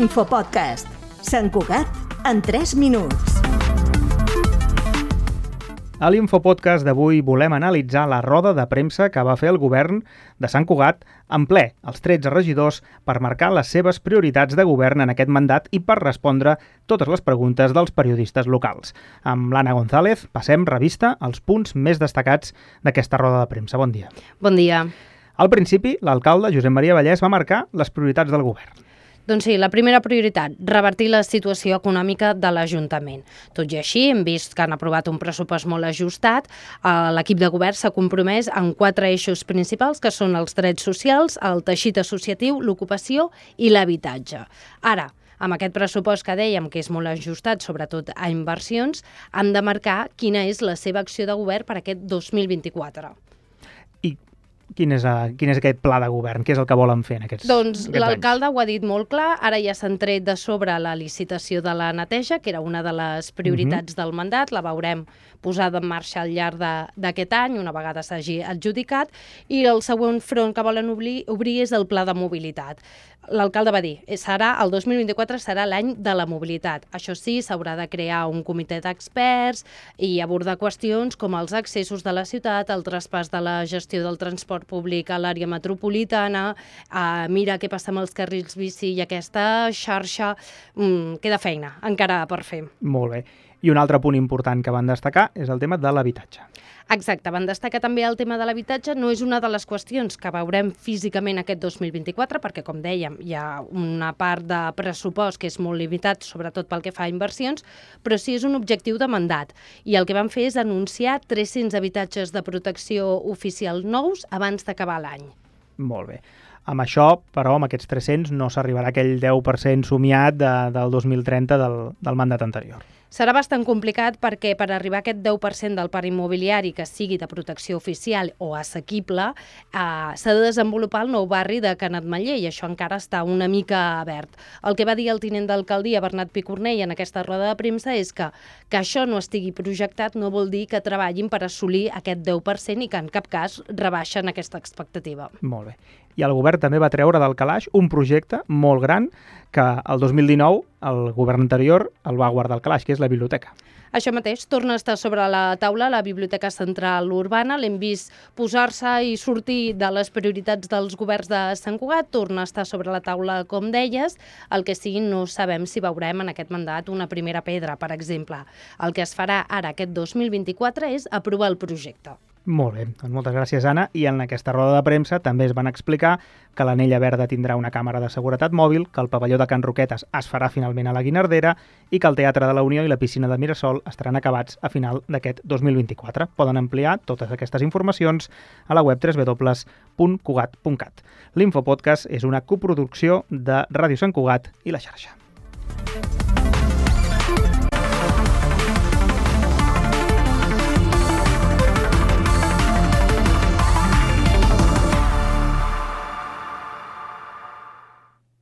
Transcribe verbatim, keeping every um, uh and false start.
L'Infopodcast. Sant Cugat en tres minuts. A l'Infopodcast d'avui volem analitzar la roda de premsa que va fer el govern de Sant Cugat en ple, els tretze regidors, per marcar les seves prioritats de govern en aquest mandat i per respondre totes les preguntes dels periodistes locals. Amb l'Anna González passem revista als punts més destacats d'aquesta roda de premsa. Bon dia. Bon dia. Al principi, l'alcalde Josep Maria Vallès va marcar les prioritats del govern. Doncs sí, la primera prioritat, revertir la situació econòmica de l'Ajuntament. Tot i així, hem vist que han aprovat un pressupost molt ajustat. L'equip de govern s'ha compromès en quatre eixos principals, que són els drets socials, el teixit associatiu, l'ocupació i l'habitatge. Ara, amb aquest pressupost que dèiem que és molt ajustat, sobretot a inversions, han de marcar quina és la seva acció de govern per aquest dos mil vint-i-quatre. I Quin és, uh, quin és aquest pla de govern? Què és el que volen fer en aquests, doncs, aquests l'alcalde anys? ho ha dit molt clar, ara ja s'han tret de sobre la licitació de la neteja, que era una de les prioritats uh-huh. del mandat, la veurem posada en marxa al llarg d'aquest any, una vegada s'hagi adjudicat, i el següent front que volen obrir, obrir és el pla de mobilitat. L'alcalde va dir, serà el dos mil vint-i-quatre serà l'any de la mobilitat. Això sí, s'haurà de crear un comitè d'experts i abordar qüestions com els accessos de la ciutat, el traspàs de la gestió del transport públic a l'àrea metropolitana, a mirar què passa amb els carrils bici i aquesta xarxa. Mm, queda feina encara per fer. Molt bé. I un altre punt important que van destacar és el tema de l'habitatge. Exacte, van destacar també el tema de l'habitatge. No és una de les qüestions que veurem físicament aquest dos mil vint-i-quatre, perquè, com dèiem, hi ha una part de pressupost que és molt limitat, sobretot pel que fa a inversions, però sí és un objectiu de mandat. I el que van fer és anunciar tres-cents habitatges de protecció oficial nous abans d'acabar l'any. Molt bé. Amb això, però, amb aquests tres-cents no s'arribarà a aquell deu per cent somiat de, del dos mil trenta del, del mandat anterior. Serà bastant complicat perquè per arribar a aquest deu per cent del parc immobiliari que sigui de protecció oficial o assequible, eh, s'ha de desenvolupar el nou barri de Canet Mallé i això encara està una mica obert. El que va dir el tinent d'alcaldia, Bernat Picornell, en aquesta roda de premsa és que, que això no estigui projectat no vol dir que treballin per assolir aquest deu per cent i que en cap cas rebaixen aquesta expectativa. Molt bé. I el govern també va treure del calaix un projecte molt gran que el dos mil dinou el govern anterior el va guardar al calaix, que és la biblioteca. Això mateix, torna a estar sobre la taula la Biblioteca Central Urbana. L'hem vist posar-se i sortir de les prioritats dels governs de Sant Cugat, torna a estar sobre la taula, com deies. El que sigui, no sabem si veurem en aquest mandat una primera pedra, per exemple. El que es farà ara, aquest dos mil vint-i-quatre, és aprovar el projecte. Molt bé, doncs moltes gràcies, Anna. I en aquesta roda de premsa també es van explicar que l'Anella Verda tindrà una càmera de seguretat mòbil, que el pavelló de Can Roquetes es farà finalment a la Guinardera i que el Teatre de la Unió i la piscina de Mirasol estaran acabats a final d'aquest dos mil vint-i-quatre. Poden ampliar totes aquestes informacions a la web w w w punt cugat punt cat. L'Infopodcast és una coproducció de Ràdio Sant Cugat i La Xarxa.